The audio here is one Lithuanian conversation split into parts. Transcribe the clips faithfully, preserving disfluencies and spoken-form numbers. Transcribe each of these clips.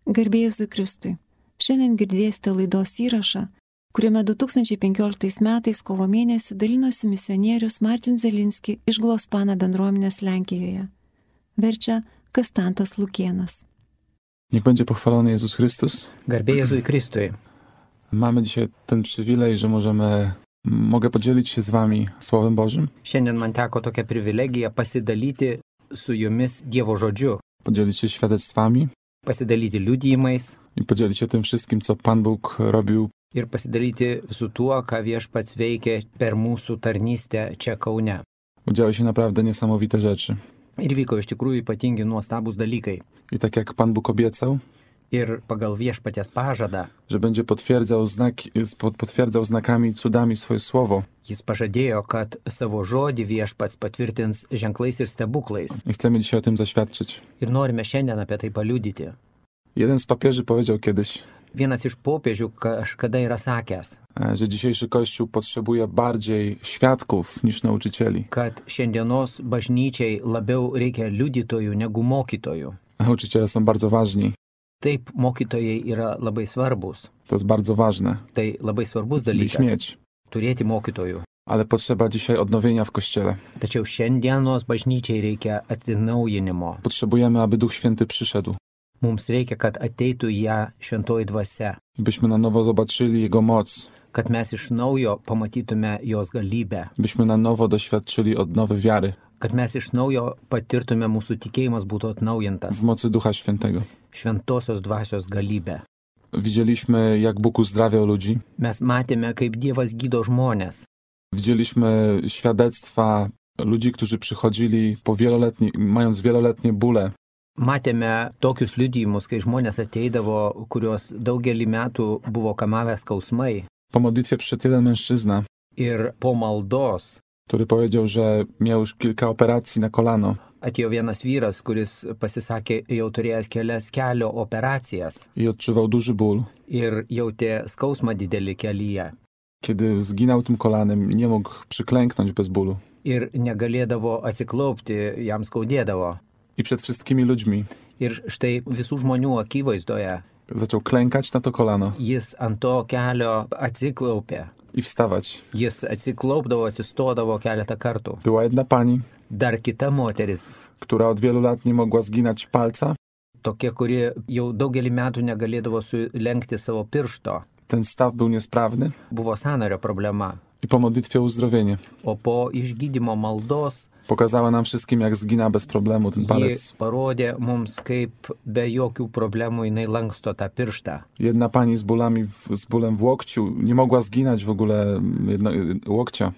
Garbė Jėzui Kristui. Šiandien girdėsite laidos įrašą, kuriame du tūkstančiai penkioliktais metais kovo mėnesį dalinosi misionierius Martin Zelinski iš Glospana bendruomenės Lenkijoje. Verčia Kastantas Lukienas. Niech będzie pochwalony Jezus Chrystus. Garbė Jėzui Kristui. Mamy dzisiaj ten przywilej, że możemy, mogę podzielić się z wami Słowem Bożym. Šiandien man teko tokia privilegija pasidalyti su jumis Dievo žodžiu, Podzielić się świadectwami pasidalyti liudijimais i podzielić się tym wszystkim, co Pan Bóg robił ir pasidalyti su tuo, ką Viešpats veikė per mūsų tarnystę čia Kaune. bo działy się naprawdę niesamowite rzeczy. Ir vyko iš tikrųjų ypatingi nuostabūs dalykai. I tak jak Pan Bóg obiecał, Ir pagal Viešpaties pažadą, że będzie potwierdzał, znaki, potwierdzał znakami i cudami swoje słowo. jis pažadėjo, kad savo žodį Viešpats patvirtins ženklais ir stebuklais. I chcemy dzisiaj o tym zaświadczyć. Ir norime šiandien apie tai paliudyti. Jeden z papieży powiedział kiedyś, Vienas iš popiežių kažkada yra sakęs, e, że dzisiejszy Kościół potrzebuje bardziej świadków niż nauczycieli. kad šiandienos bažnyčiai labiau reikia liudytojų negu mokytojų. A nauczyciele są bardzo ważni. Taip, mokytojai yra labai svarbus. To jest bardzo ważne. Tai labai svarbus Ich dalykas mieć. turėti mokytojų. Ale potrzeba dzisiaj odnowienia w Kościele. Tačiau šiandienos bažnyčiai reikia atsinaujinimo. Potrzebujemy, aby Duch Święty przyszedł. Mums reikia, kad ateitų ją šventoji dvasia, I byśmy na nowo zobaczyli Jego moc. kad mes iš naujo pamatytume jos galybę, Byśmy na nowo doświadczyli odnowy wiary kad mes iš naujo patirtume mūsų tikėjimas būtų atnaujintas, w mocy Ducha Świętego. šventosios dvasios galybę. Widzieliśmy, jak Bóg uzdrawiał ludzi. Mes matėme, kaip Dievas gydo žmonės. Widzieliśmy świadectwa ludzi, którzy przychodzili po wieloletni, mając wieloletnie bóle. Matėme tokius liudijimus, kai žmonės ateidavo, kurios daugelį metų buvo kamavę skausmai. Po modlitwie przyszedł jeden mężczyzna, Ir po maldos który powiedział, że miał już kilka operacji na kolano. atėjo vienas vyras, kuris pasisakė jau turėjęs kelias kelio operacijas I odczuwał duży ból. ir jautė skausmą didelį kelyje. Kiedy zginął tym kolanem, nie mógł przyklęknąć bez bólu. Ir negalėdavo atsiklaupti, jam skaudėdavo. I przed wszystkimi ludźmi Ir štai visų žmonių akivaizdoje zaczął klękać na to kolano jis ant to kelio atsiklaupė. i wstawać. Jis atsiklaupdavo, atsistodavo keletą kartų. Była jedna pani, Dar kita moteris, która od wielu lat nie mogła zginać palca. tokia, kuri jau daugelį metų negalėdavo sulenkti savo piršto. Ten staw był niesprawny Buvo sąnario problema. i po modlitwie o uzdrowienie O po išgydymo maldos pokazała nam wszystkim, jak zgina bez problemu ten ji palec. parodė mums, kaip be jokių problemų jinai lanksto tą pirštą. Jedna pani z bólami, w, z bólem w łokciu nie mogła zginać w ogóle jedno, łokcia.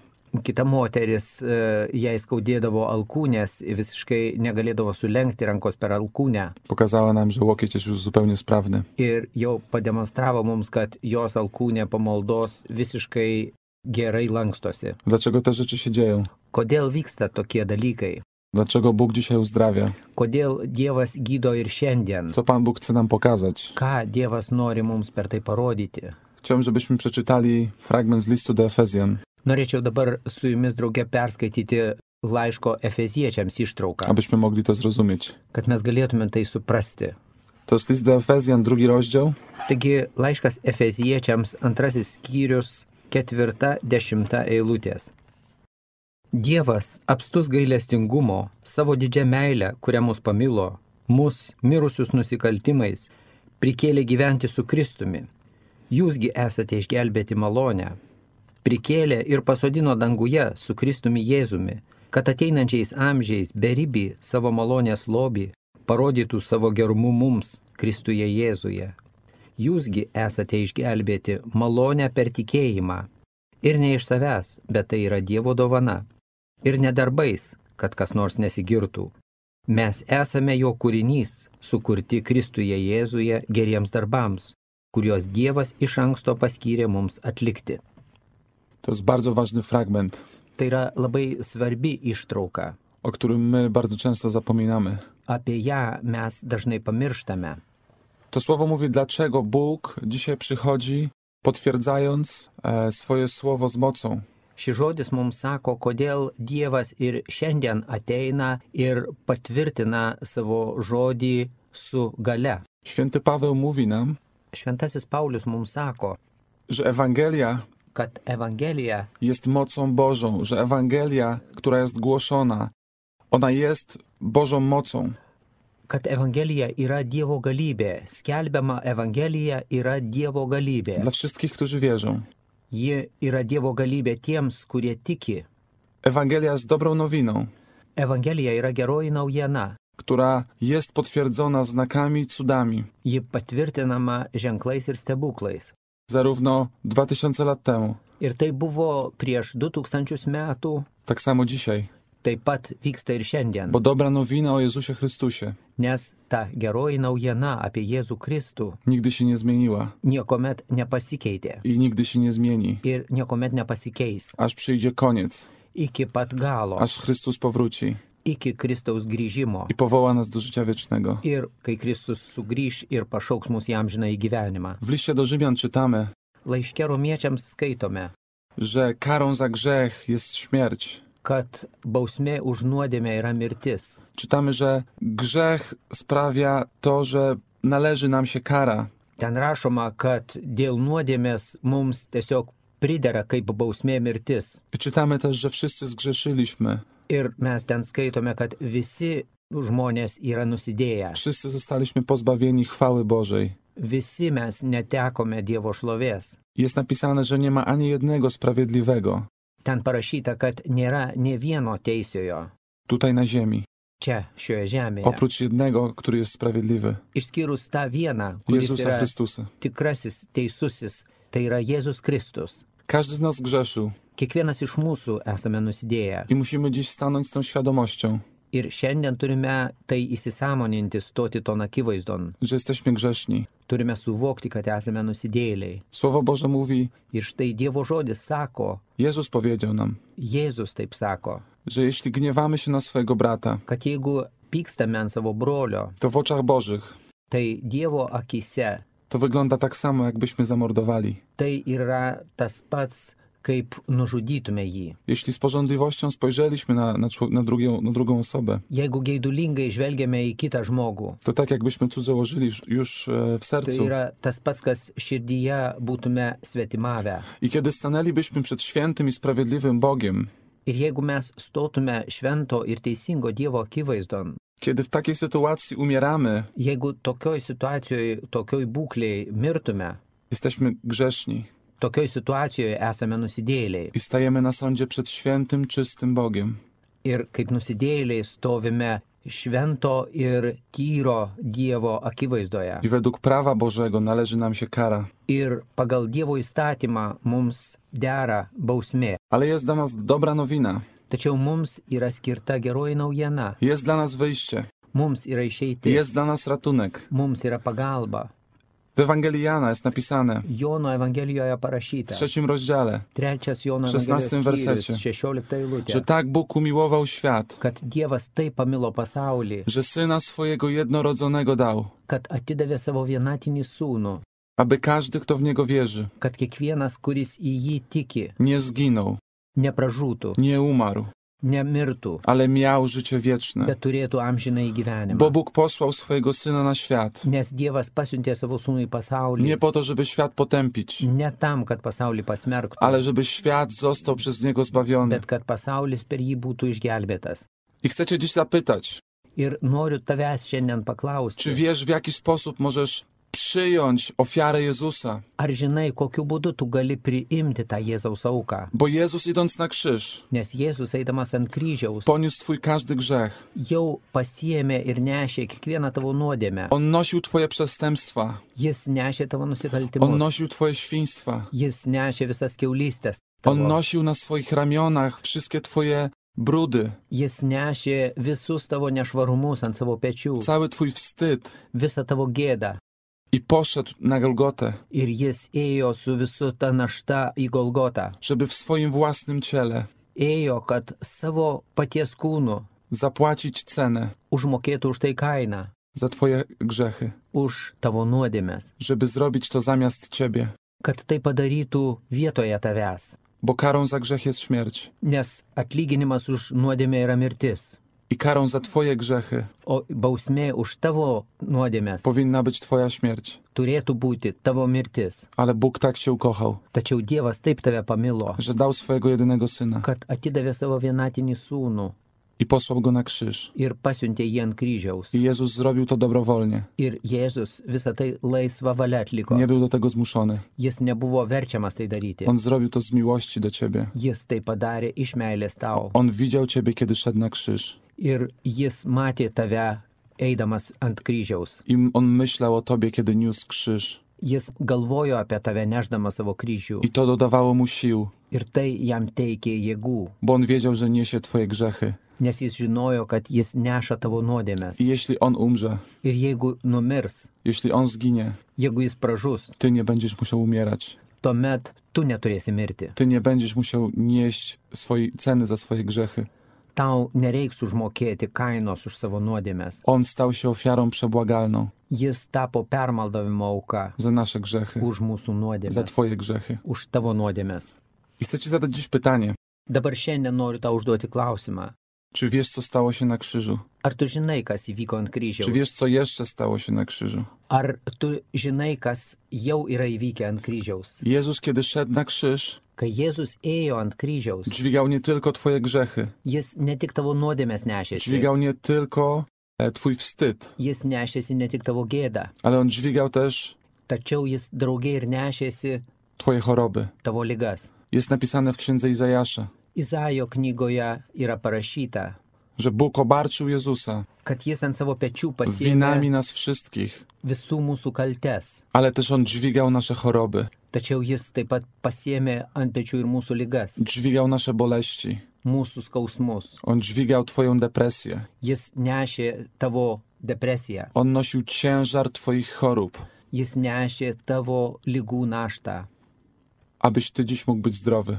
Kita moteris, e, jai skaudėdavo alkūnės, visiškai negalėdavo sulenkti rankos per alkūnę. Pokazała nam, że łokieć jest już zupełnie sprawny. Ir jau pademonstravo mums, kad jos alkūnė po maldos visiškai gerai lankstosi. Dlaczego te rzeczy się dzieją? Kodėl vyksta tokie dalykai? Dlaczego Bóg dzisiaj uzdrawia? Kodėl Dievas gydo ir šiandien? Co Pan Bóg chce nam pokazać? Ką Dievas nori mums per tai parodyti? Chciałbym, żebyśmy przeczytali fragment z listu do Efezjan, Norėčiau dabar su jumis drauge perskaityti laiško Efeziečiams ištrauką, abyśmy mogli to zrozumieć. kad mes galėtume tai suprasti. To jest list do Efezjan, drugi rozdział, Taigi laiškas Efeziečiams antrasis skyrius, ketvirta, dešimta eilutės. Dievas, apstus gailestingumo, savo didžią meilę, kurią mus pamilo, mus, mirusius nusikaltimais, prikėlė gyventi su Kristumi. Jūsgi esate išgelbėti malonę. Prikėlė ir pasodino danguje su Kristumi Jėzumi, kad ateinančiais amžiais beribį savo malonės lobį parodytų savo gerumu mums, Kristuje Jėzuje. Jūsgi esate išgelbėti malonę per tikėjimą. Ir ne iš savęs, bet tai yra Dievo dovana. Ir ne darbais, kad kas nors nesigirtų. Mes esame jo kūrinys, sukurti Kristuje Jėzuje geriems darbams, kuriuos Dievas iš anksto paskyrė mums atlikti. to jest bardzo ważny fragment, Tai yra labai svarbi ištrauka. o którym my bardzo często zapominamy. Apie ją mes dažnai pamirštame. To słowo mówi, dlaczego Bóg dzisiaj przychodzi, potwierdzając e, swoje słowo z mocą. Šis žodis mums sako, kodėl Dievas ir šiandien ateina ir patvirtina savo žodį su gale. Święty Paweł mówi nam, Šventasis Paulius mums sako, że Ewangelia kad Evangelija jest mocą Bożą, że Ewangelia, która jest głoszona, ona jest Bożą mocą. kad Evangelija yra Dievo galybė. Skelbiama Evangelija yra Dievo galybė. Dla wszystkich, którzy wierzą. Ji yra Dievo galybė tiems, kurie tiki. Ewangelia jest dobrą nowiną, Evangelija yra geroji naujiena. która jest potwierdzona znakami, cudami. Ji patvirtinama ženklais ir stebuklais. Zarówno dwa tysiące lat temu, Ir tai buvo prieš du tūkstančius metų, tak samo dzisiaj. taip pat vyksta ir šiandien. Bo dobra nowina o Jezusie Chrystusie Nes ta geroji naujiena apie Jėzų Kristų nigdy się nie zmieniła niekuomet nepasikeitė i nigdy się nie zmieni, ir niekuomet nepasikeis. aż przyjdzie koniec, Iki pat galo, aż Chrystus powróci iki Kristaus grįžimo. i powoła nas do życia wiecznego. Ir kai Kristus sugrįž ir pašauks mus į amžinąjį gyvenimą. W liście do Rzymian czytamy, Laiške romiečiams skaitome, że karą za grzech jest śmierć. kad bausmė už nuodėmę yra mirtis. Czytamy, że grzech sprawia to, że należy nam się kara. Ten rašoma, kad dėl nuodėmės mums tiesiog pridera kaip bausmė mirtis. I czytamy też, że wszyscy zgrzeszyliśmy. Ir mes ten skaitome, kad visi žmonės yra nusidėję. Wszyscy zostaliśmy pozbawieni chwały Bożej. Visi mes netekome Dievo šlovės. Jest napisane, że nie ma ani jednego sprawiedliwego Ten parašyta, kad nėra nė vieno teisiojo tutaj na ziemi, čia, šioje žemėje. oprócz jednego, który jest sprawiedliwy. Išskyrus tą vieną, kuris Jezusa yra Chrystusa. tikrasis teisusis, tai yra Jėzus Kristus. Każdy z nas grzeszył Kiekvienas iš mūsų esame nusidėję. i musimy dziś stanąć z tą świadomością, Ir šiandien turime tai įsisąmoninti, stoti ton akivaizdon. że jesteśmy grzeszni. Turime suvokti, kad esame nusidėjėliai. Słowo Boże mówi, Ir štai Dievo žodis sako, Jezus powiedział nam, Jėzus taip sako, że jeśli gniewamy się na swojego brata, kad jeigu pykstame ant savo brolio, to w oczach Bożych tai Dievo akise to wygląda tak samo, jakbyśmy zamordowali. tai yra tas pats, kaip nužudytume jį. Jeśli z pożądliwością spojrzeliśmy na, na, czło- na, drugią, na drugą osobę, Jeigu geidulingai žvelgiame į kitą žmogų, to tak jakbyśmy cudzołożyli już- już e, w tai sercu. yra tas pats, kas širdyje būtume svetimavę. I kiedy stanęlibyśmy przed świętym i sprawiedliwym Bogiem, Ir jeigu mes stotume švento ir teisingo Dievo akivaizdon, kiedy w takiej sytuacji umieramy, jeigu tokioj situacijoje, tokioj būklėje mirtume, jesteśmy grzeszni tokioj situacijoje esame nusidėjėliai. i stajemy na sądzie przed świętym, czystym Bogiem. Ir kaip nusidėjėliai stovime švento ir tyro Dievo akivaizdoje. I według prawa Bożego należy nam się kara. Ir pagal Dievo įstatymą mums dera bausmė. Ale jest dla nas dobra nowina. Tačiau mums yra skirta geroji naujiena. Jest dla nas wyjście. Mums yra išeitis. Jest dla nas ratunek. Mums yra pagalba. W Ewangelii Jana jest napisane Jono Evangelijoje w parašyta. trzecim rozdziale, Trečias Jono szesnastym Evangelijos wersecie, skyrius, šešiolikta eilutė. że tak Bóg umiłował świat, Kad Dievas taip pamilo pasaulį, że Syna swojego jednorodzonego dał, kad atidavė savo vienatinį sūnų, aby każdy, kto w Niego wierzy, kad kiekvienas, kuris į jį tiki, nie zginął, nepražūtų, nie umarł, nemirtų, ale miał życie wieczne. bet turėtų amžinąjį gyvenimą. Bo Bóg posłał swojego Syna na świat, Nes Dievas pasiuntė savo sūnų į pasaulį nie po to, żeby świat potępić, ne tam, kad pasaulį pasmerktų, ale żeby świat został przez Niego zbawiony. bet kad pasaulis per jį būtų išgelbėtas. I chcę Cię dziś zapytać, Ir noriu tavęs šiandien czy paklausti, wiesz, w jaki sposób możesz przyjąć ofiarę Jezusa? ar žinai, kokiu būdu tu gali priimti tą Jėzaus auką? Bo Jezus idąc na krzyż, Nes Jėzus eidamas ant kryžiaus poniósł Twój każdy grzech. jau pasiėmė ir nešė kiekvieną tavo nuodėmę. On nosił Twoje przestępstwa, Jis nešė tavo On nusikaltimus. nosił Twoje świństwa, Jis nešė visas kiaulystės On tavo. nosił na swoich ramionach wszystkie Twoje brudy, Jis nešė visus tavo nešvarumus ant savo pečių, cały Twój wstyd visą tavo gėdą. i poszedł na Golgotę, Ir jis ėjo su visu ta našta į Golgotą. żeby w swoim własnym ciele Ėjo, kad savo paties kūnu zapłacić cenę užmokėtų už tai kainą, za Twoje grzechy, už tavo nuodėmes, żeby zrobić to zamiast Ciebie, kad tai padarytų vietoje tavęs. bo karą za grzech jest śmierć. Nes atlyginimas už nuodėmę yra mirtis. I karą za twoje grzechy o bausmė už tavo nuodėmes powinna być twoja śmierć. turėtų būti tavo mirtis. Ale Bóg tak cię ukochał, Tačiau Dievas taip tave pamilo, że dał swojego jedynego syna kad atidavė savo vienatinį sūnų i posłał go na krzyż. ir pasiuntė jį ant kryžiaus. I Jezus zrobił to dobrowolnie. Ir Jėzus visą tai laisvą valią atliko. Nie był do tego zmuszony. Jis nebuvo verčiamas tai daryti. On zrobił to z miłości do ciebie. Jis tai padarė iš meilės tau. On widział ciebie, kiedy szedł na krzyż. Ir jis matė tave eidamas ant kryžiaus. I on myślał o tobie, kiedy niósł krzyż. Jis galvojo apie tave neždamas savo kryžių. I to dodawało mu sił, Ir tai jam teikė jėgų. bo on wiedział, że niesie twoje grzechy. Nes jis žinojo, kad jis neša tavo nuodėmes. I jeśli on umrze, Ir jeigu numirs, jeśli on zginie, jeigu jis pražus, ty nie będziesz musiał umierać. tuomet tu neturėsi mirti. Ty nie będziesz musiał nieść swojej ceny za swoje grzechy. Tau nereiks užmokėti kainos už savo nuodėmes. On stał się ofiarą przebłagalną Jis tapo permaldavimo auka za nasze grzechy, už mūsų za nuodėmes, twoje grzechy. už tavo nuodėmes. I chcę ci zadać dziś pytanie. Dabar šiandien noriu tau užduoti klausimą. Czy wiesz, co stało się na krzyżu? Ar tu žinai, kas įvyko ant Czy kryžiaus? wiesz, co jeszcze stało się na krzyżu? Ar tu žinai, kas jau yra įvykę ant kryžiaus? Jezus, kiedy szedł na krzyż, Kai Jėzus ėjo ant kryžiaus, dźwigał nie tylko twoje grzechy, jis ne tik tavo nuodėmes nešėsi, dźwigał nie tylko e, twój wstyd, jis nešėsi ne tik tavo gėdą, ale on dźwigał też tačiau jis draugė ir nešėsi twoje choroby. tavo ligas. Jest napisane w księdze Izajasza, Izaijo knygoje yra parašyta, że Bóg obarczył Jezusa kad jis ant savo pečių winami pasiėmė nas wszystkich, visų mūsų kaltes, ale też on dźwigał nasze choroby, tačiau jis taip pat pasiėmė ant pečių ir mūsų ligas, dźwigał nasze boleści, mūsų skausmus. on dźwigał twoją depresję, Jis nešė tavo depresiją, on nosił ciężar twoich chorób, jis nešė tavo ligų naštą, abyś ty dziś mógł być zdrowy,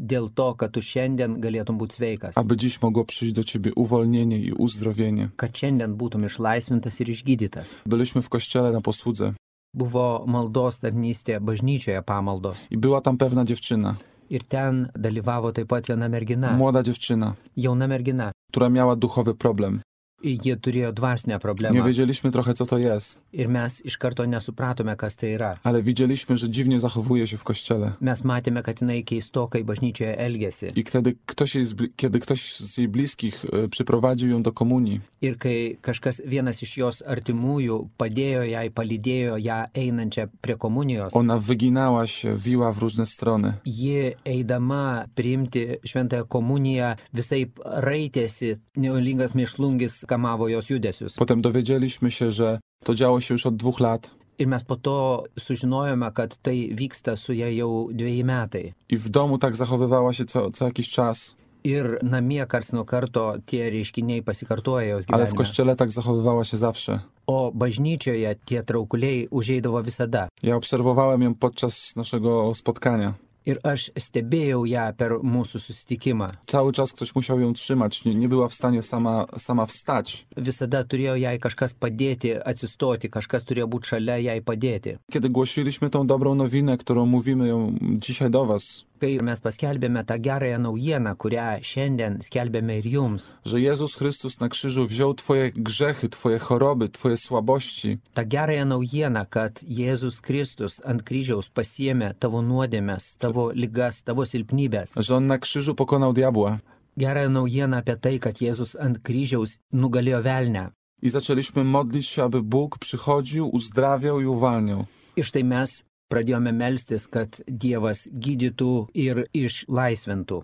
dėl to, kad tu šiandien galėtum būti sveikas, aby dziś mogło przyjść do ciebie uwolnienie i uzdrowienie. kad šiandien būtum išlaisvintas ir išgydytas. Byliśmy w kościele na posłudze Buvo maldos tarnystė bažnyčioje pamaldos. i była tam pewna dziewczyna, Ir ten dalyvavo taip pat viena mergina, młoda dziewczyna, jauna mergina. która miała duchowy problem. Jie turėjo dvasinę Nie problemą. wiedzieliśmy trochę, co to jest, Ir mes iš karto nesupratome, kas tai yra. ale widzieliśmy, że dziwnie zachowuje się w kościele. Mes matėme, kad jinai keistokai bažnyčioje elgėsi. I kiedy ktoś, jej z, bli- kiedy ktoś z jej bliskich e, przyprowadził ją do komunii, Ir kai kažkas vienas iš jos artimųjų padėjo jai, palydėjo ją einančią prie komunijos, ona wyginała się, wiła w różne strony. ji eidama priimti šventąją komuniją visaip raitėsi, nevalingas mėšlungis kamavo jos judesius. Potem dowiedzieliśmy się, że to działo się już od dwóch lat Ir mes po to sužinojome, kad tai vyksta su ja jau dviejai metai. i w domu tak zachowywała się co, co jakiś czas, Ir namie kars nuo karto tie reiškiniai pasikartoja jos ale w gyvenime. kościele tak zachowywała się zawsze. O bažnyčioje tie traukuliai užeidavo visada. Ja obserwowałem ją podczas naszego spotkania. Ir aš stebėjau ją per mūsų susitikimą. Cały czas ktoś musiał ją trzymać, nie, nie była w stanie sama, sama wstać. Visada turėjo jai kažkas padėti, atsistoti, kažkas turėjo būti šalia jai padėti. Kiedy głosiliśmy tą dobrą nowinę, którą mówimy ją dzisiaj do was, Kai mes paskelbėme tą gerąją naujieną, kurią šiandien skelbėme ir jums, że Jezus Chrystus na krzyżu wziął twoje grzechy, twoje choroby, twoje słabości tą gerąją naujieną, kad Jėzus Kristus ant kryžiaus pasiėmė tavo nuodėmes, tavo ligas, tavo silpnybės. że On na krzyżu pokonał diabła. Gerąją naujieną apie tai, kad Jėzus ant kryžiaus nugalėjo velnę. I zaczęliśmy modlić się, aby Bóg przychodził, uzdrawiał i uwalniał. Ir štai mes pradėjome melstis, kad Dievas gydytų ir išlaisvintų.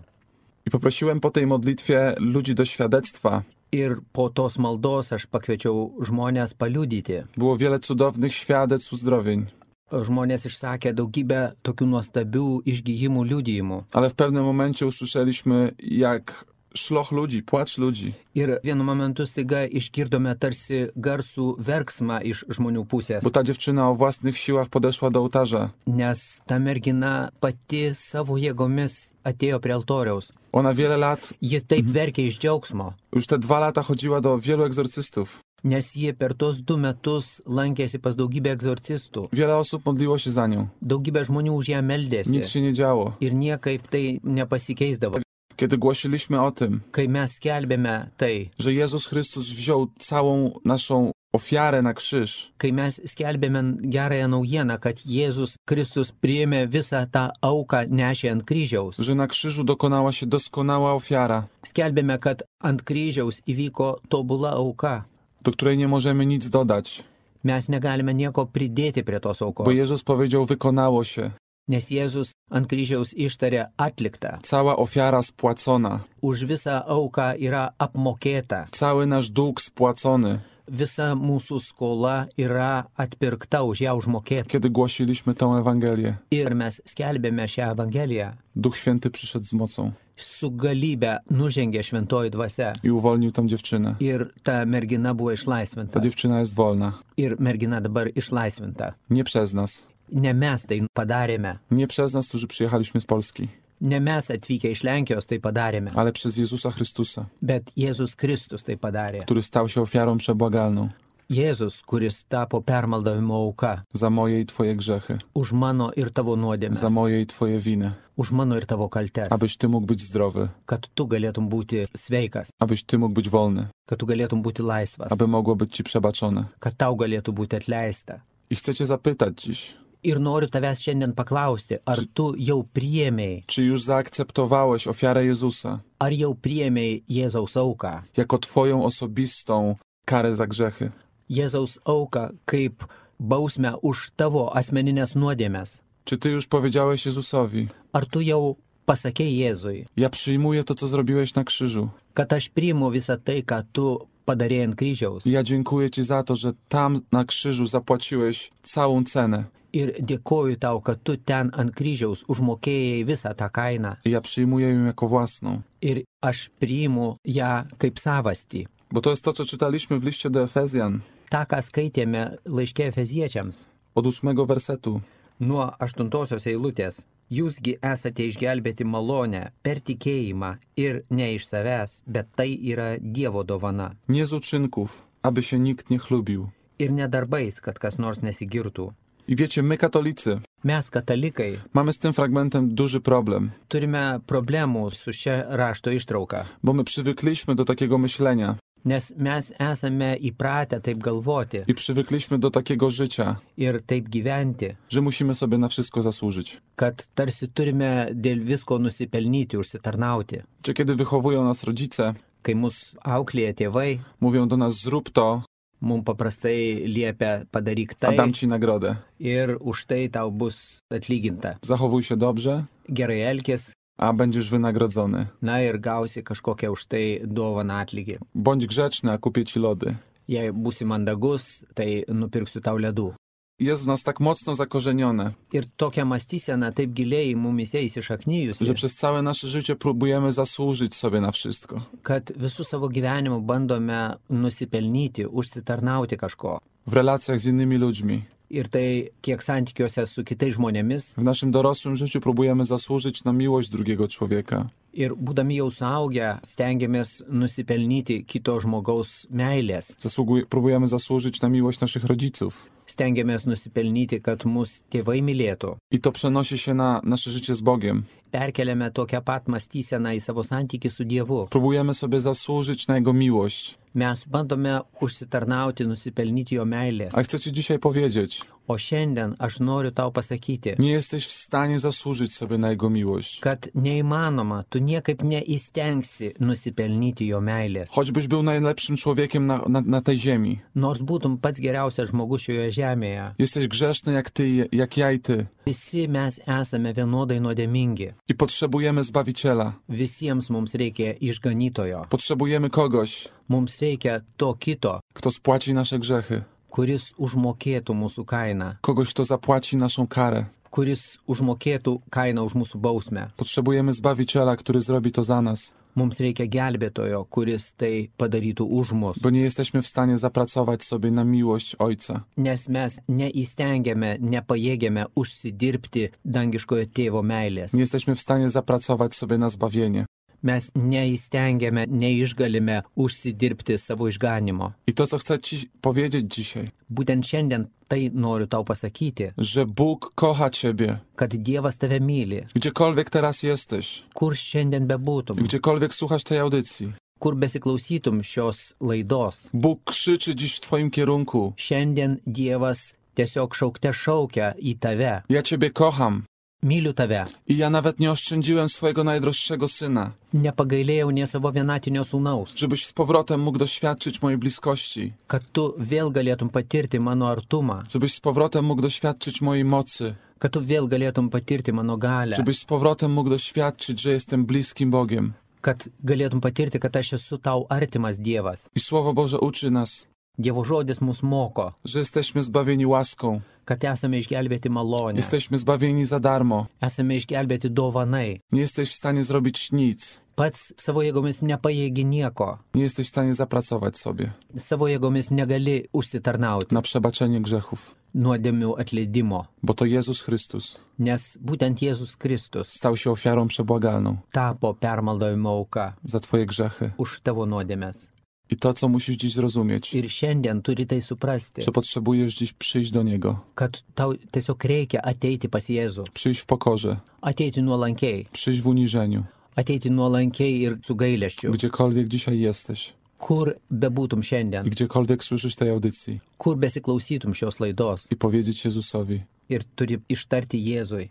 I poprosiłem po tej modlitwie ludzi do świadectwa. Ir po tos maldos aš pakviečiau žmonės paliudyti. Było wiele cudownych świadectw uzdrowień. Žmonės išsakė daugybę tokių nuostabių išgyjimų liudijimų. Ale w pewnym momencie usłyszeliśmy, jak szloch ludzi, płacz ludzi. Ir vienu momentu staiga išgirdome tarsi garsų verksmą iš žmonių pusės. Bo ta dziewczyna o własnych siłach podeszła do ołtarza. Nes ta mergina pati savo jėgomis atėjo prie altoriaus. Ona wiele lat, Ji taip verkė iš džiaugsmo, już te dwa lata chodziła do wielu egzorcystów. nes jie per tos du metus lankėsi pas daugybę egzorcistų. Wiele osób modliło się za nią. Daugybė žmonių už ją Nic meldėsi. się nie działo. Ir niekaip tai nepasikeisdavo. Kiedy głosiliśmy o tym, kai mes skelbėme tai, że Jezus Chrystus wziął całą naszą ofiarę na krzyż, kai mes skelbėme gerąją naujieną, kad Jėzus Kristus priėmė visą tą auką nešė ant kryžiaus. że na krzyżu dokonała się doskonała ofiara, Skelbėme, kad ant kryžiaus įvyko tobula auka. do której nie możemy nic dodać, Mes negalime nieko pridėti prie tos aukos, bo Jezus powiedział, wykonało się. nes Jėzus ant kryžiaus ištarė atlikta. Cała ofiara spłacona, Už visą auką yra apmokėta. cały nasz dług spłacony. Visa mūsų skola yra atpirkta, už ją užmokėta. Kiedy głosiliśmy tę Ewangelię, Ir mes skelbėme šią Evangeliją. Duch Święty przyszedł z mocą Su galybė nužengė šventoji dvasia. i uwolnił tę dziewczynę. Ir ta mergina buvo Ta išlaisvinta. dziewczyna jest wolna. Ir mergina dabar išlaisvinta. Nie przez nas. Ne mes tai padarėme. Nie przez nas, którzy przyjechaliśmy z Polski, Ne mes atvykę iš Lenkijos tai padarėme. ale przez Jezusa Chrystusa, Bet Jėzus Kristus tai padarė. który stał się ofiarą przebłagalną Jėzus, kuris tapo permaldavimo auka. za moje i Twoje grzechy, Už mano ir tavo za nuodėmes. moje i Twoje winy, Už mano ir tavo kaltes. abyś Ty mógł być zdrowy, Kad tu galėtum būti sveikas. abyś Ty mógł być wolny, Kad tu galėtum būti laisvas. aby mogło być Ci przebaczone. Kad tau galėtų būti atleista. I chcę Cię zapytać dziś, Ir noriu tavęs šiandien paklausti, ar tu jau priėmėjai, czy już zaakceptowałeś ofiarę Jezusa ar jau priėmėjai Jėzaus auką. jako Twoją osobistą karę za grzechy? Jėzaus auką kaip bausmę už tavo asmeninės nuodėmes. Czy Ty już powiedziałeś Jezusowi, Ar tu jau pasakei Jėzui, ja przyjmuję to, co zrobiłeś na krzyżu. kad aš priimu visą tai, ką tu padarėjai ant kryžiaus. I ja dziękuję Ci za to, że tam na krzyżu zapłaciłeś całą cenę. Ir dėkoju tau, kad tu ten ant kryžiaus užmokėjai visą tą kainą. I ja przyjmuję ją jako własną. Ir aš priimu ją kaip savastį. Bo to jest to, co czytaliśmy w liście do Efezjan Ta, ką skaitėme laiške Efeziečiams. od ósmego wersetu. Nuo aštuntosios eilutės. Jūsgi esate išgelbėti malonę per tikėjimą ir ne iš savęs, bet tai yra Dievo dovana. Nie z uczynków, aby się nikt nie chlubił. Ir ne darbais, kad kas nors nesigirtų. I wiecie, my katolicy Mes katalikai mamy z tym fragmentem duży problem, turime problemų su šia rašto ištrauka, bo my przywykliśmy do takiego myślenia nes mes esame įpratę taip galvoti i przywykliśmy do takiego życia, ir taip gyventi, że musimy sobie na wszystko zasłużyć. kad tarsi turime dėl visko nusipelnyti, užsitarnauti. Czy kiedy wychowują nas rodzice, Kai mus auklėja tėvai, mówią do nas zrób to, mums paprastai liepia padaryk a tai dam Ci nagrodę. ir už tai tau bus atlyginta. Zachowuj się dobrze, Gerai elkis, a będziesz wynagrodzony. na ir gausi kažkokią už tai dovaną atlygį. Bądź grzeczny, a kupię Ci lody. Jei būsi mandagus, tai nupirksiu tau ledų. Jest w nas tak mocno zakorzenione, Ir tokia mąstysena taip giliai mumise įsišaknyjusi, że przez całe nasze życie próbujemy zasłużyć sobie na wszystko. kad visų savo gyvenimu bandome nusipelnyti, užsitarnauti kažko. W relacjach z innymi ludźmi, Ir tai tiek santykiuose su kitais žmonėmis. w naszym dorosłym życiu próbujemy zasłużyć na miłość drugiego człowieka. Ir būdami jau suaugę, stengiamės nusipelnyti kito žmogaus meilės. Zasługuj, próbujemy zasłużyć na miłość naszych rodziców. Stengiamės nusipelnyti, kad mus tėvai mylėtų. I to przenosi się na nasze życie z Bogiem. Perkeliame tokią pat mąstyseną į savo santykį su Dievu. Próbujemy sobie zasłużyć na Jego miłość. Mes bandome užsitarnauti, nusipelnyti jo meilės. A chcę Ci dzisiaj powiedzieć, O šiandien aš noriu tau pasakyti, nie jesteś w stanie zasłużyć sobie na Jego miłość. kad neįmanoma, tu niekaip neįstengsi nusipelnyti jo meilės. Choćbyś był najlepszym człowiekiem na, na, na tej ziemi. Nors būtum pats geriausias žmogus šioje žemėje, Jesteś grzeszny jak Ty, jak ja i Ty. visi mes esame vienodai nuodėmingi. I potrzebujemy Zbawiciela. Visiems mums reikia išganytojo. Potrzebujemy kogoś, Mums reikia to kito, kto spłaci nasze grzechy. kuris užmokėtų mūsų kainą, Kogoś, kto zapłaci naszą karę. kuris užmokėtų kainą už mūsų bausmę. Potrzebujemy Zbawiciela, który zrobi to za nas. Mums reikia gelbėtojo, kuris tai padarytų už mus. Bo nie jesteśmy w stanie zapracować sobie na miłość Ojca. Nes mes neįstengiame, nepajėgiame užsidirbti dangiškojo tėvo meilės. Nie jesteśmy w stanie zapracować sobie na zbawienie. Mes neįstengiame, neišgalime užsidirbti savo išganimo. I to, co chcę Ci powiedzieć dzisiaj, Būtent šiandien tai noriu tau pasakyti, że Bóg kocha Ciebie, kad Dievas tave myli, gdziekolwiek teraz jesteś, kur šiandien bebūtum, gdziekolwiek słuchasz tej audycji. kur besiklausytum šios laidos. Bóg krzyczy dziś w Twoim kierunku. Šiandien Dievas tiesiog šaukte šaukia į tave. Ja Ciebie kocham. Myliu tave. I ja nawet nie oszczędziłem swojego najdroższego syna, Nepagailėjau nie savo vienatinio sūnaus, żebyś z powrotem mógł doświadczyć mojej bliskości, kad tu vėl galėtum patirti mano artumą, żebyś z powrotem mógł doświadczyć mojej mocy, kad tu vėl galėtum patirti mano galę, żebyś z powrotem mógł doświadczyć, że jestem bliskim Bogiem. kad galėtum patirti, kad aš esu tau artimas Dievas. I Słowo Boże uczy nas, Dievo žodis mus moko, że jesteśmy zbawieni łaską, kad esame išgelbėti malonę, jesteśmy zbawieni za darmo. esame išgelbėti dovanai. Nie jesteś w stanie zrobić nic, Pats savo jėgomis nepajėgi nieko, nie jesteś w stanie zapracować sobie savo jėgomis negali užsitarnauti na przebaczenie grzechów, nuodėmių atleidimo, bo to Jezus Chrystus nes būtent Jėzus Kristus stał się ofiarą przebłagalną tapo permaldavimo auka za Twoje grzechy. už tavo nuodėmes. I to, co musisz dziś zrozumieć, Ir šiandien turi tai suprasti, że potrzebujesz dziś przyjść do Niego, kad tau tiesiog reikia ateiti pas Jėzų, przyjść w pokorze, ateiti nuolankiai, przyjść w uniżeniu, ateiti nuolankiai ir su gailesčiu, gdziekolwiek dzisiaj jesteś kur bebūtum i šiandien, gdziekolwiek słyszysz tej audycji kur besiklausytum šios laidos i powiedzieć Jezusowi: ir turi ištarti Jėzui,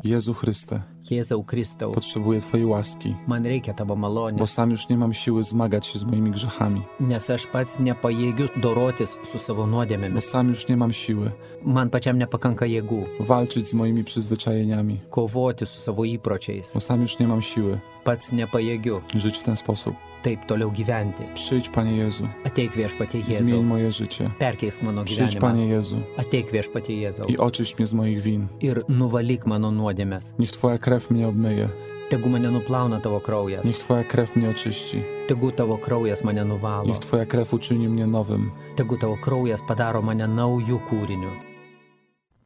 Jezu Chryste, Jėzau Kristau, potrzebuję Twojej łaski, man reikia tavo bo malonės, sam już nie mam siły zmagać się z moimi grzechami, nes aš pats nepajėgiu dorotis su savo bo nuodėmėmis, sam już nie mam siły man pačiam nepakanka jėgų walczyć z moimi przyzwyczajeniami, kovoti su savo įpročiais, bo sam już nie mam siły pats nepajėgiu żyć w ten sposób. taip toliau gyventi. Przyjdź, Panie Jezu, Ateik viešpatie zmień Jėzau, moje życie. perkeisk mano Przyjdź, gyvenimą. Panie Jezu, Ateik viešpatie Jėzau i oczyść mnie z moich win. ir nuvalyk mano nuodėmes. Niech Twoja krew mnie obmyje, Tegu mane nuplauna tavo kraujas, niech Twoja krew mnie oczyści, tegu tavo kraujas mane nuvalo, niech Twoja krew uczyni mnie nowym. tegu tavo kraujas padaro mane naujų kūrinių.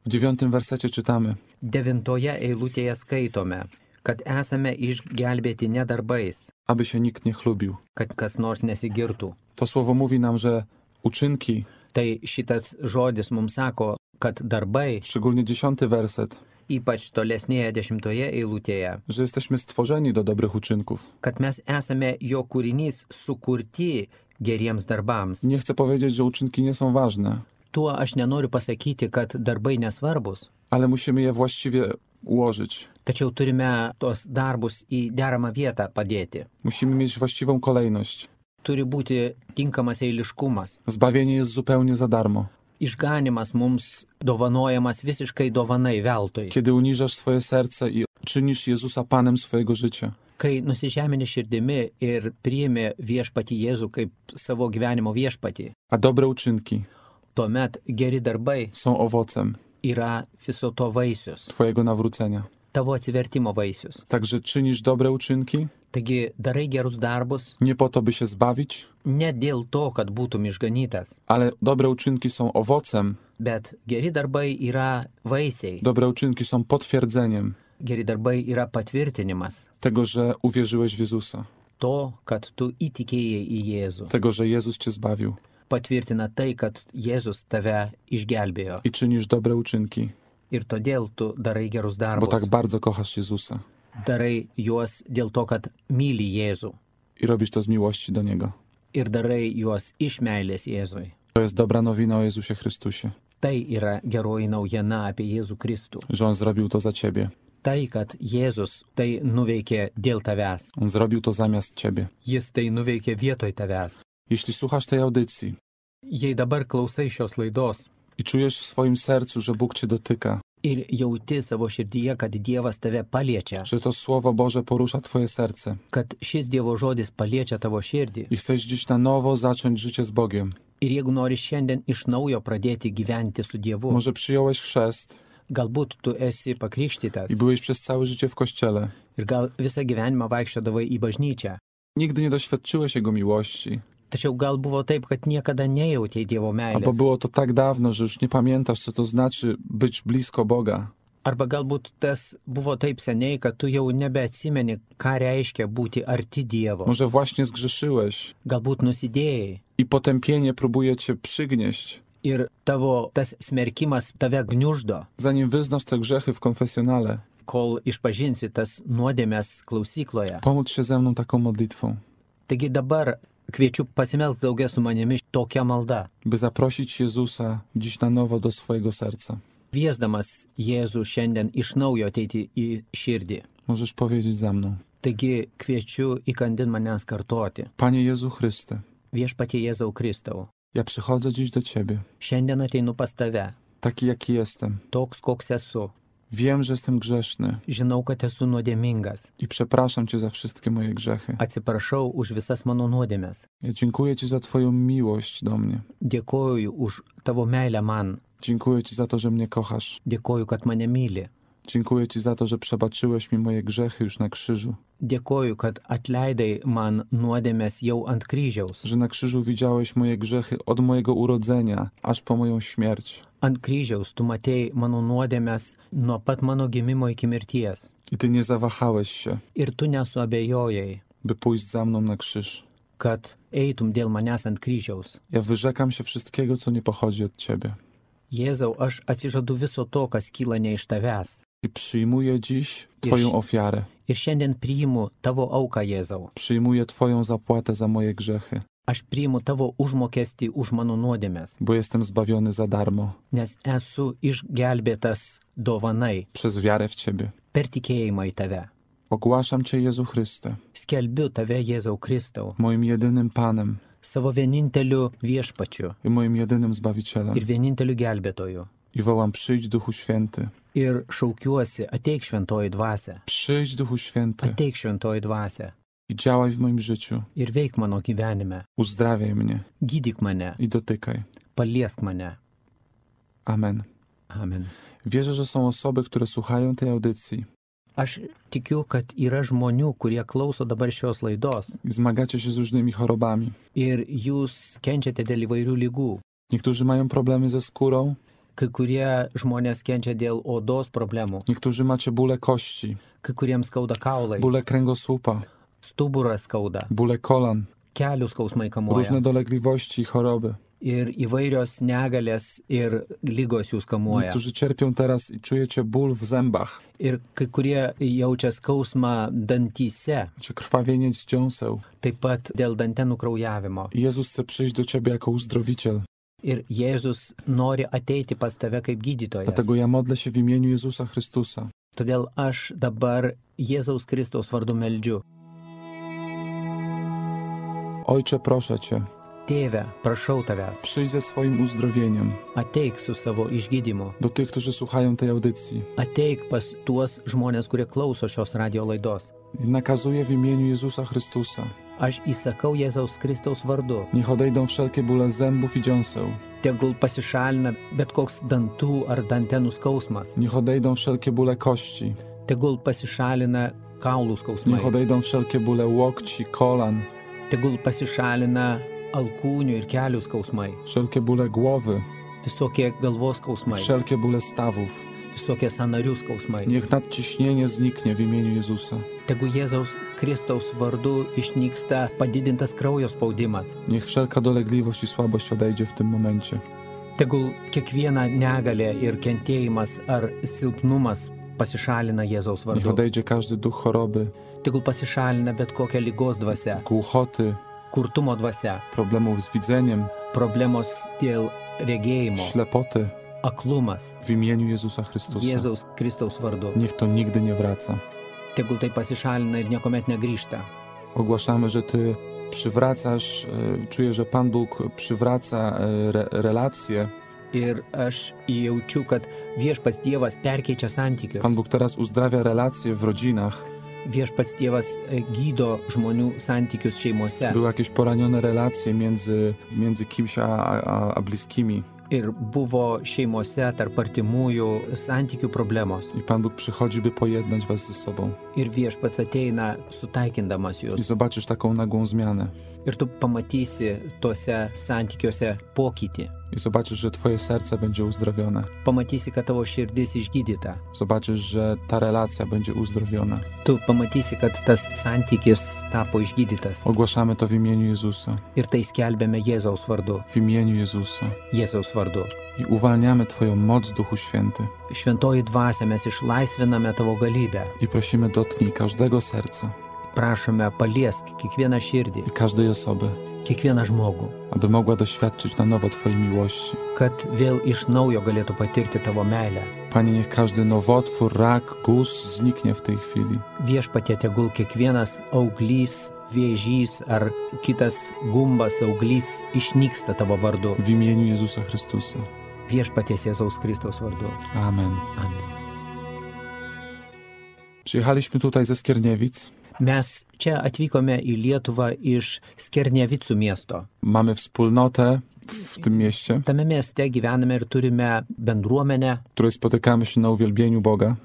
W dziewiątym wersecie czytamy: Devintoje eilutėje skaitome, kad esame išgelbėti ne darbais, aby się nikt nie chlubił. kad kas nors nesigirtų. To słowo mówi nam, że uczynki, Tai šitas žodis mums sako, kad darbai, szczególnie dziesiąty werset, ypač tolesnėje dešimtoje eilutėje, że jesteśmy stworzeni do dobrych uczynków. kad mes esame jo kūrinys sukurti geriems darbams. Nie chcę powiedzieć, że uczynki nie są ważne, Tuo aš nenoriu pasakyti, kad darbai nesvarbus, ale musimy je właściwie ułożyć. tačiau turime tos darbus į deramą vietą padėti. Musimy mieć właściwą kolejność. Turi būti tinkamas eiliškumas. Zbawienie jest zupełnie za darmo. Išganimas mums dovanojamas visiškai dovanai veltui. Kiedy uniżasz swoje serce i czynisz Jezusa Panem swojego życia, Kai nusižemini širdimi ir priimi viešpatį Jėzų kaip savo gyvenimo viešpatį, a dobre uczynki tuomet geri darbai są owocem yra viso to vaisius, Twojego nawrócenia. tavo atsivertimo vaisius. Także czynisz dobre uczynki Taigi darai gerus darbus nie po to, by się zbawić, ne dėl to, kad būtum išganytas, ale dobre uczynki są owocem, bet geri darbai yra vaisiai. dobre uczynki są potwierdzeniem Geri darbai yra patvirtinimas tego, że uwierzyłeś w Jezusa, to, kad tu įtikėjai į Jėzų. tego, że Jezus Cię zbawił Patvirtina tai, kad Jėzus tave išgelbėjo. i czynisz dobre uczynki, Ir todėl tu darai gerus bo darbus. tak bardzo kochasz Jezusa Darai juos dėl to, kad myli Jėzų. i robisz to z miłości do Niego. Ir darai juos iš meilės Jėzui. To jest dobra nowina o Jezusie Chrystusie, Tai yra geroji naujiena apie Jėzų Kristų. że On zrobił to za Ciebie. Tai, kad Jėzus tai nuveikė dėl tavęs. On zrobił to zamiast Ciebie. Jis tai nuveikė vietoj tavęs. Jeśli słuchasz tej audycji Jei dabar klausai šios laidos i czujesz w swoim sercu, że Bóg Cię dotyka, ir jauti savo širdyje, kad Dievas tave paliečia, że to Słowo Boże porusza Twoje serce kad šis Dievo žodis paliečia tavo širdį, i chcesz dziś na nowo zacząć życie z Bogiem, ir jeigu nori šiandien iš naujo pradėti gyventi su Dievu, może przyjąłeś chrzest galbūt tu esi pakrikštytas i byłeś przez całe życie w Kościele, ir gal visą gyvenimą vaikščiodavai į bažnyčią, nigdy nie doświadczyłeś Jego miłości, tačiau gal buvo taip, kad niekada nejautei Dievo albo meilės, było to tak dawno, że już nie pamiętasz, co to znaczy być blisko Boga. Arba galbūt tas było taip seniai, kad tu jau nebeatsimeni, ką reiškia būti arti Dievo. Może właśnie zgrzeszyłeś Galbūt nusidėjai. i potępienie próbuje cię przygnieść. Ir tavo tas smerkimas tave gniuždo, Zanim wyznasz te grzechy w konfesjonale, kol išpažinsi tas nuodėmės klausykloje. pomódl się ze mną taką modlitwą, Taigi dabar kviečiu pasimelst daugia su manimi tokia malda. by zaprosić Jezusa dziś na nowo do swojego serca. Kviesdamas Jėzų šiandien iš naujo ateiti į širdį. Możesz powiedzieć za mną. Taigi kviečiu įkandin manęs kartoti. Panie Jezu Chryste, Viešpatie Jėzau Kristau, ja przychodzę dziś do Ciebie, šiandien ateinu pas tave, taki jaki jestem. toks koks esu. Wiem, że jestem grzeszny Žinau, kad esu nuodėmingas. i przepraszam Cię za wszystkie moje grzechy. Atsiprašau už visas mano nuodėmes. Ja dziękuję Ci za Twoją miłość do mnie. Dėkoju už tavo meilę man. Dziękuję Ci za to, że mnie kochasz. Dėkoju, kad mane myli. Dziękuję Ci za to, że przebaczyłeś mi moje grzechy już na krzyżu. Dėkoju, kad atleidai man nuodėmes jau ant kryžiaus. Że na krzyżu widziałeś moje grzechy od mojego urodzenia, aż po moją śmierć. Ant kryžiaus tu matei mano nuodėmes nuo pat mano gimimo iki mirties. I Ty nie zawahałeś się, Ir tu nesuabejojai, by pójść za mną na krzyż. kad eitum dėl manęs ant kryžiaus. Ja wyrzekam się wszystkiego, co nie pochodzi od Ciebie. Jėzau, aš atsižadu viso to, kas kyla ne iš tavęs. I przyjmuję dziś Twoją Iš- ofiarę. Ir šiandien priimu tavo auką, Jėzau. Przyjmuję Twoją zapłatę za moje grzechy, Aš priimu tavo užmokestį už mano nuodėmes, bo jestem zbawiony za darmo nes esu išgelbėtas dovanai przez wiarę w Ciebie. per tikėjimą į tave. Ogłaszam Cię, Jezu Chryste, Skelbiu tave, Jėzau Kristau, moim jedynym Panem savo vieninteliu viešpačiu i moim jedynym Zbawicielem. ir vieninteliu gelbėtoju. I wołam, przyjdź Duchu Święty. Ir šaukiuosi, ateik šventoji dvasia, Przyjdź Duchu Święty ateik šventoji dvasia i działaj w moim życiu. ir veik mano gyvenime. Uzdrawiaj mnie Gydyk mane, i dotykaj. paliesk mane. Amen. Amen. Wierzę, że są osoby, które słuchają tej audycji Aš tikiu, kad yra žmonių, kurie klauso dabar šios laidos i zmagacie się z różnymi chorobami. ir jūs kenčiate dėl įvairių lygų. Niektórzy mają problemy ze skórą, Kai kurie žmonės kenčia dėl odos problemų, niektórzy macie bóle kości, kai kuriems skauda kaulai, bóle kręgosłupa, stuburas skauda, bóle kolan, kelių skausmai kamuoja różne dolegliwości i choroby. ir įvairios negalės ir lygos jūs kamuoja. Niektórzy cierpią teraz i czujecie ból w zębach, Ir kai kurie jaučia skausmą dantyse, czy krwawienie z dziąseł. taip pat dėl dantenų kraujavimo. I Jezus chce przyjść do ciebie jako uzdrowiciel. Ir Jėzus nori ateiti pas tave kaip gydytojas. Dlatego ja modlę się w imieniu Jezusa Chrystusa. Todėl aš dabar Jėzaus Kristaus vardu meldžiu. Ojcze, proszę Cię, Tėve, prašau tavęs, przyjdź ze swoim uzdrowieniem ateik su savo išgydymu. do tych, którzy słuchają tej audycji. Ateik pas tuos žmonės, kurie klauso šios radio laidos. I nakazuję w imieniu Jezusa Chrystusa. Aš įsakau Jėzaus Kristaus vardu. Niech odejdą wszelkie bóle zębów i dziąseł. Tegul pasišalina bet koks dantų ar dantenų skausmas. Niech odejdą wszelkie bóle kości. Tegul pasišalina kaulų skausmai. Niech odejdą wszelkie bóle łokci, kolan. Tegul pasišalina alkūnių ir kelių skausmai. Wszelkie bóle głowy. Visokie galvos skausmai. Wszelkie bóle stawów. Visokie sąnarių skausmai. Niech nadciśnienie zniknie w imieniu Jezusa. Tegu Jėzaus Kristaus vardu išnyksta padidintas kraujo spaudimas. Niech wszelka dolegliwość i słabość odejdzie w tym momencie. Tegul kiekviena negalė ir kentėjimas ar silpnumas pasišalina Jėzaus Niech vardu. odejdzie każdy duch choroby, Tegul pasišalina bet kokia lygos dvasia, głuchoty, kurtumo dvasia, problemów z widzeniem, problemos dėl regėjimo, ślepoty aklumas w imieniu Jezusa Chrystusa. Jėzaus Kristaus vardu. Niech to nigdy nie wraca. Tegul tai pasišalina ir niekuomet negrįžta. Ogłaszamy, że Ty przywracasz, e, czuję, że Pan Bóg przywraca e, re, relacje. Ir aš jaučiu, kad viešpats Dievas perkeičia santykius. Pan Bóg teraz uzdrawia relacje w rodzinach. Viešpats Dievas e, gydo žmonių santykius šeimose. Były jakieś poranione relacje między, między kimś a, a, a bliskimi. Ir buvo šeimose tarp artimųjų santykių problemos. I Pan Bóg przychodzi, by pojednać was ze sobą. Ir viešpats ateina sutaikindamas I juos. zobaczysz taką nagłą zmianę. Ir tu pamatysi tuose santykiuose pokytį. I zobaczysz, że twoje serce będzie uzdrowione. Pamatysi, kad tavo širdis išgydyta. Zobaczysz, że ta relacja będzie uzdrowiona. Tu pamatysi, kad tas santykis tapo išgydytas. Ogłaszamy to w imieniu Jezusa. Ir tai skelbėme Jėzaus vardu. W imieniu Jezusa. Jėzaus vardu. I uwalniamy Twoją moc, Duchu Święty. Šventoji dvasia, mes išlaisviname tavo galybę. I prosimy, dotknij każdego serca. Prašome, paliesk kiekvieną širdį, I każdej osoby, kiekvieną žmogų, aby mogła doświadczyć na nowo Twojej miłości. kad vėl iš naujo galėtų patirti tavo meilę. Panie, niech każdy nowotwór, rak, guz zniknie w tej chwili. Viešpatie, tegul kiekvienas auglys, vėžys ar kitas gumbas auglys išnyksta tavo vardu. W imieniu Jezusa Chrystusa. Viešpaties Jėzaus Kristaus vardu. Amen. Amen. Przyjechaliśmy tutaj ze Skierniewic. Mes čia atvykome į Lietuvą iš Skernevicų miesto. Mamy wspólnotę w tym mieście, Tame mieste gyvename ir turime bendruomenę. w której spotykamy się na uwielbieniu Boga,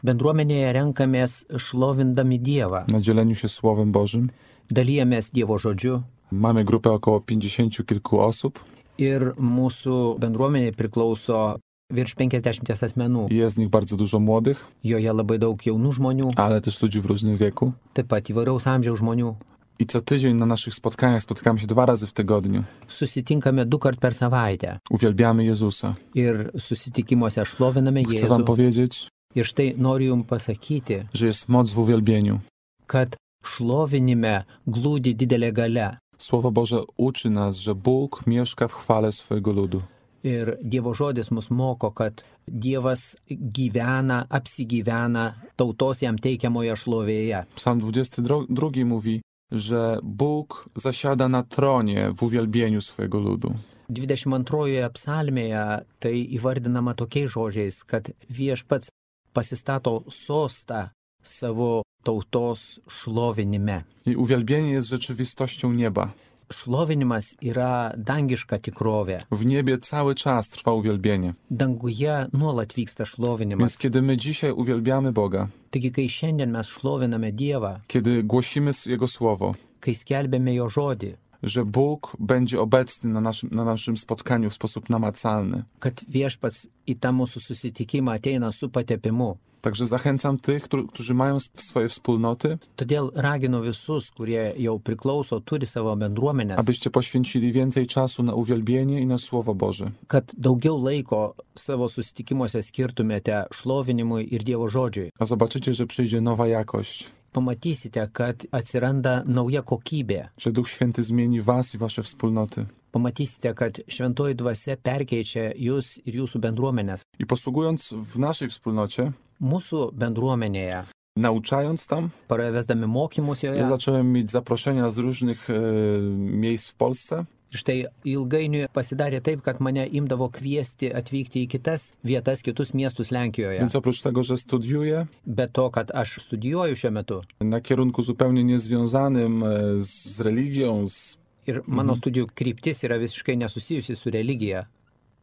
Bendruomenėje renkamės šlovindami Dievą. na dzieleniu się Słowem Bożym. Dalyjamės Dievo žodžiu Mamy grupę około pięćdziesięciu kilku osób. ir mūsų bendruomeniai priklauso virš penkiasdešimties asmenų. Jest z nich bardzo dużo młodych, Joje labai daug jaunų žmonių, ale też ludzi w różnym wieku. taip pat įvairaus amžiaus žmonių. I co tydzień na naszych spotkaniach spotykamy się dwa razy w tygodniu. Susitinkame du kart per savaitę Uwielbiamy Jezusa. ir susitikimuose šloviname Chcę wam Jėzų. powiedzieć, Ir štai noriu jums pasakyti, że jest moc w uwielbieniu. kad šlovinime glūdi didelė galia. Słowo Boże uczy nas, że Bóg mieszka w chwale swojego ludu. Ir Dievo žodis mus moko, kad Dievas gyvena, apsigyvena tautos jam teikiamoje šlovėje. Psalm dwudziesty drugi mówi, że Bóg zasiada na tronie w uwielbieniu swojego ludu. dvidešimt antrojoje psalmėje tai įvardinama tokiais žodžiais, kad Viešpats pasistato sostą savo tautos šlovinime. I uwielbienie jest rzeczywistością nieba. Šlovinimas yra dangiška tikrovė. W niebie cały czas trwa uwielbienie. Danguje nuolat vyksta Więc šlovinimas. kiedy my dzisiaj uwielbiamy Boga, Taigi, kai šiandien mes šloviname Dievą, kiedy głosimy Jego Słowo, kai skelbėme Jo žodį, że Bóg będzie obecny na naszym, na naszym spotkaniu w sposób namacalny. kad Viešpats į tą mūsų susitikimą ateina su patepimu. Także zachęcam tych, którzy- którzy mają sw- swoje wspólnoty, Todėl raginu visus, kurie jau priklauso, turi savo bendruomenės, abyście poświęcili więcej czasu na uwielbienie i na Słowo Boże. kad daugiau laiko savo susitikimuose skirtumėte šlovinimui ir Dievo žodžiui. A zobaczycie, że przyjdzie nowa jakość, Pamatysite, kad atsiranda nauja kokybė. że Duch Święty zmieni was i wasze wspólnoty. Pamatysite, kad šventoji dvasia perkeičia jūs ir jūsų bendruomenės. I posługując w naszej wspólnocie, Mūsų bendruomenėje, nauczając tam, pravesdami mokymus ja joje, zacząłem mieć zaproszenia z różnych e, miejsc w Polsce. ir štai ilgainiui pasidarė taip, kad mane imdavo kviesti atvykti į kitas vietas, kitus miestus Lenkijoje. Więc oprócz tego, że studiuję Be to, kad aš studijuoju šiuo metu na kierunku zupełnie niezwiązanym e, z, z religią, z, ir mano studijų kryptis yra visiškai nesusijusi su religija.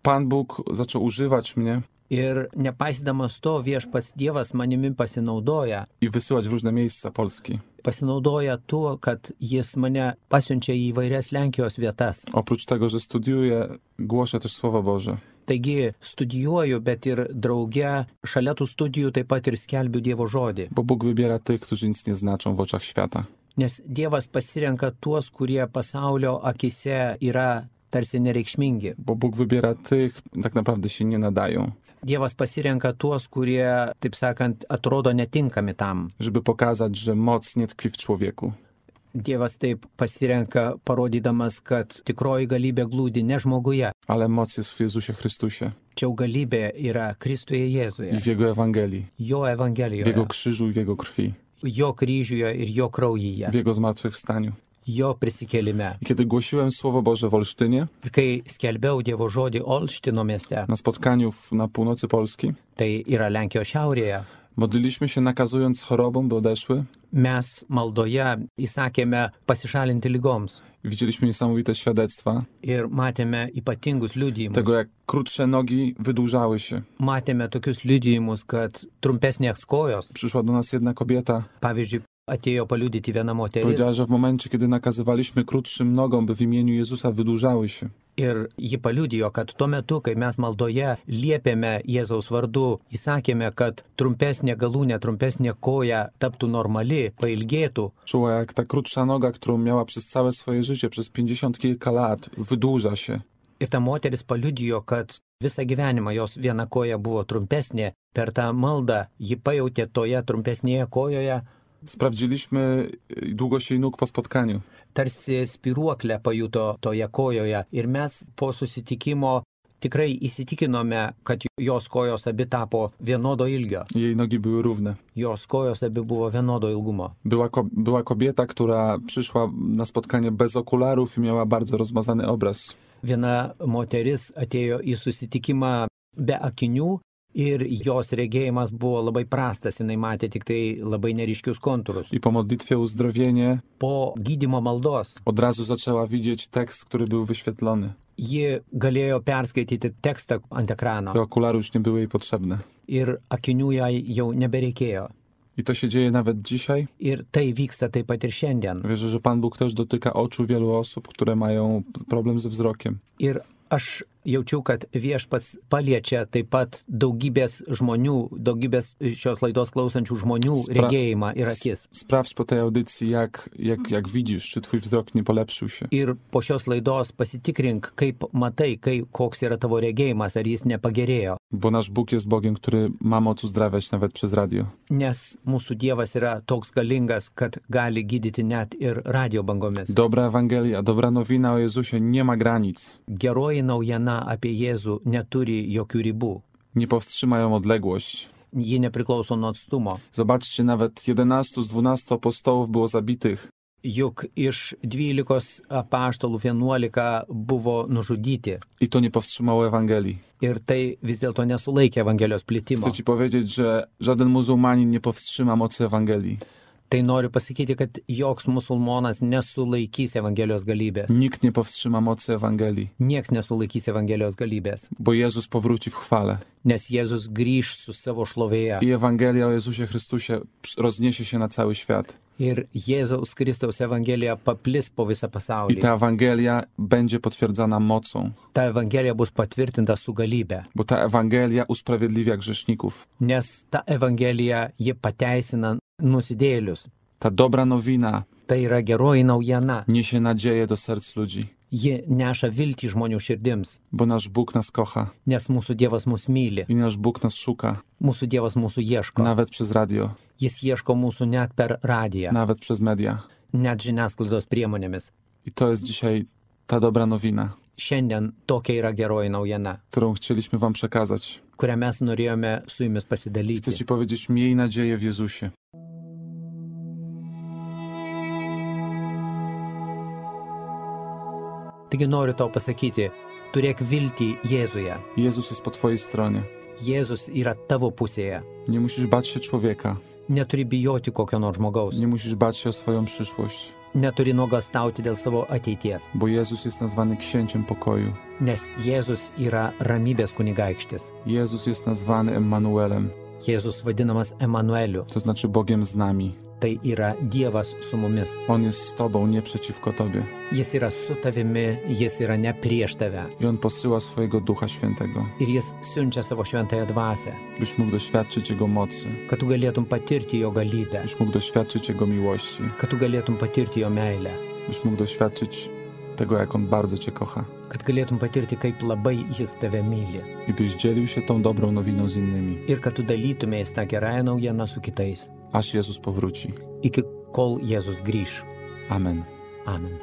Pan Bóg zaczął używać mnie Ir nepaisydamas to, Viešpats Dievas manimi pasinaudoja. i wysyłać w różne miejsca Polski. Pasinaudoja tuo, kad jis mane pasiunčia į įvairias Lenkijos vietas. Oprócz tego, że studiuję, głoszę też Słowo Boże. Taigi studijuoju, bet ir drauge šalia tų studijų taip pat ir skelbiu Dievo žodį. Bo Bóg wybiera tych, którzy nic nie znaczą w oczach świata. Nes Dievas pasirenka tuos, kurie pasaulio akise yra tarsi nereikšmingi. Bo Bóg wybiera tych, tak naprawdę się nie nadają. Dievas pasirenka tuos, kurie, taip sakant, atrodo netinkami tam. Żeby pokazać, że moc nie tkwi w człowieku. Dievas taip pasirenka, parodydamas, kad tikroji galybė glūdi ne žmoguje. Ale moc jest w Jezusie Chrystusie Čia galybė yra Kristuje i Jėzuje, w Jego Ewangelii, Jo w Jego Evangelijoje, krzyżu i w Jego krwi, Jo kryžiuje ir Jo kraujyje, w Jego zmartwychwstaniu. Jo prisikėlime. I kiedy głosiłem Słowo Boże w Olsztynie, Ir kai skelbiau Dievo žodį Olštino mieste, na spotkaniu w, na północy Polski, tai yra Lenkijos šiaurėje, modliliśmy się nakazując chorobom, by odeszły. mes maldoje įsakėme pasišalinti lygoms I widzieliśmy niesamowite świadectwa ir matėme ypatingus liudijimus. tego, jak krótsze nogi wydłużały się. Matėme tokius liudijimus, kad trumpesnės kojos, Przyszła do nas jedna kobieta, pavyzdžiui, atėjo paliudyti viena moteris. powiedziała, że w momencie, kiedy nakazywaliśmy krótszym nogom, by w imieniu Jezusa wydłużały się, Ir ji paliudijo, kad tuo metu, kai mes maldoje liepėme Jėzaus vardu, įsakėme, kad trumpesnė galūnė, trumpesnė koja taptų normali, pailgėtų. Czuła, jak ta krótsza noga, którą miała przez całe swoje życie, przez pięćdziesiąt kilka lat, wydłuża się. Ir ta moteris paliudijo, kad visą gyvenimą jos viena koja buvo trumpesnė. Per tą maldą ji pajautė toje trumpesnėje kojoje. Sprawdziliśmy długość jej nóg po spotkaniu. Tarsi spiruoklę pajuto toje kojoje ir mes po susitikimo tikrai įsitikinome, kad jos kojos abi tapo vienodo ilgio. Jej nogi były równe. Jos kojos abi buvo vienodo ilgumo. Była, ko- była kobieta, która przyszła na spotkanie bez okularów i miała bardzo rozmazany obraz. Viena moteris atėjo į susitikimą be akinių ir jos regėjimas buvo labai prastas, jinai matė tik tai labai neryškius kontūrus. I po modlitwie uzdrowienie Po gydymo maldos od razu zaczęła widzieć tekst, który był wyświetlony. ji galėjo perskaityti tekstą ant ekrano Te okulary już nie były jej potrzebne. ir akinių jai jau nebereikėjo. I to się dzieje nawet dzisiaj. Ir tai vyksta taip pat ir šiandien. Wierzę, że Pan Bóg też dotyka oczu wielu osób, które mają problem ze wzrokiem. Ir aš jaučiu, kad viešpats paliečia taip pat daugybės žmonių, daugybės šios laidos klausančių žmonių Spra- regėjimą ir akis. Sprawdź po tej audycji, jak, jak, jak widzisz, czy twój wzrok nie polepszył się. Ir po šios laidos pasitikrink, kaip matai, kai, koks yra tavo regėjimas, ar jis nepagerėjo. Bo nasz Bóg jest Bogiem, który ma moc uzdrawiać nawet przez radio. Nes mūsų Dievas yra toks galingas, kad gali gydyti net ir radio bangomis. Dobra Ewangelia, dobra nowina o Jezusie nie ma granic. Geroji naujiena apie Jėzų neturi jokių ribų. Nie powstrzyma ją odległość. Ji nepriklauso nuo atstumo. Zobaczcie, nawet jedenastu z dwunastu apostołów było zabitych. Juk iš dvylikos apaštalų vienuolika buvo nužudyti. I to nie powstrzymało Ewangelii. Ir tai vis dėlto nesulaikė Evangelijos plitimo. Chcę ci powiedzieć, że żaden muzułmanin nie powstrzyma mocy Ewangelii. Tai noriu pasakyti, kad joks musulmonas nesulaikys Evangelijos galybės. Nikt nie powstrzyma mocy Ewangelii, Nieks nesulaikys Evangelijos galybės. bo Jezus powróci w chwale. Nes Jėzus grįž su savo šlovėje. I Ewangelia o Jezusie Chrystusie rozniesie się na cały świat. Ir Jėzaus Kristaus Evangelija paplis po visą I pasaulį. ta Ewangelia będzie potwierdzana mocą, Ta Evangelija bus patvirtinta su galybė. bo ta Ewangelia usprawiedliwia grzeszników. Nes ta Evangelija, ji pateisina nusidėlius. Ta dobra nowina Tai yra geroji naujiena. niesie nadzieję do serc ludzi, Ji neša viltį žmonių širdims. bo nasz Bóg nas kocha Nes mūsų Dievas mus myli. i nasz Bóg nas szuka, Mūsų Dievas mūsų ieško. nawet przez radio, Jis ieško mūsų net per radiją, nawet przez media. net žiniasklaidos priemonėmis. I to jest dzisiaj ta dobra nowina, Šiandien tokia yra geroji naujiena, którą chcieliśmy wam przekazać. kurią mes norėjome su jumis Chcę pasidalyti. ci powiedzieć, miej nadzieję w Jezusie. Taigi noriu tau pasakyti, turėk viltį Jėzuje. Jezus jest po twojej stronie. Jėzus yra tavo pusėje. Nie musisz bać się człowieka. Neturi bijoti kokio nors žmogaus. Nie musisz bać się o swoją przyszłość, Neturi nuogąstauti dėl savo ateities. bo Jezus jest nazwany księciem pokoju. Nes Jėzus yra ramybės kunigaikštis. Jezus jest nazwany Emmanuelem, Jėzus vadinamas Emanueliu. to znaczy Bogiem z nami. Tai yra Dievas su mumis. On jest z tobą, nie przeciwko tobie. Jis yra su tavimi, jis yra ne prieš tave. I On posyła swojego Ducha Świętego, Ir jis siunčia savo šventąją dvasią, byś mógł doświadczyć Jego mocy, kad tu galėtum patirti jo galybę, byś mógł doświadczyć Jego miłości, kad tu galėtum patirti jo meilę, byś mógł doświadczyć tego, jak On bardzo cię kocha kad galėtum patirti, kaip labai jis tave myli. i byś dzielił się tą dobrą nowiną z innymi, Ir kad tu dalytumės tą gerąją naujieną su kitais, aż Jezus powróci. iki kol Jėzus grįž. Amen. Amen.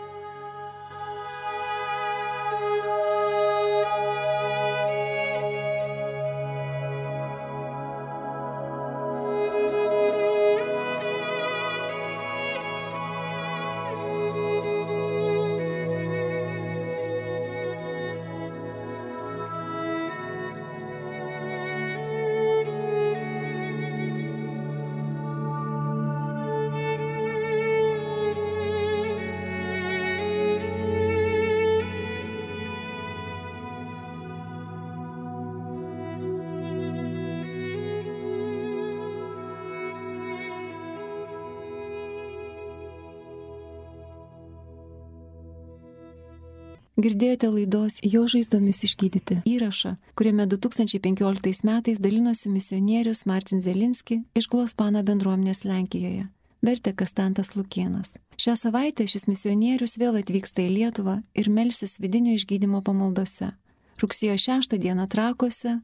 Girdėjote laidos Jo žaizdomis išgydyti įrašą, kuriame du tūkstančiai penkioliktais metais dalinosi misionierius Martin Zelinski iš Glospana bendruomenės Lenkijoje. Vertė Kastantas Lukėnas. Šią savaitę šis misionierius vėl atvyksta į Lietuvą ir melsis vidinio išgydymo pamaldose. Rugsėjo šeštą dieną Trakuose,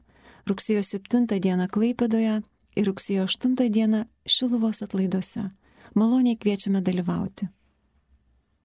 rugsėjo septintą dieną Klaipėdoje ir rugsėjo aštuntą dieną Šiluvos atlaiduose. Maloniai kviečiame dalyvauti.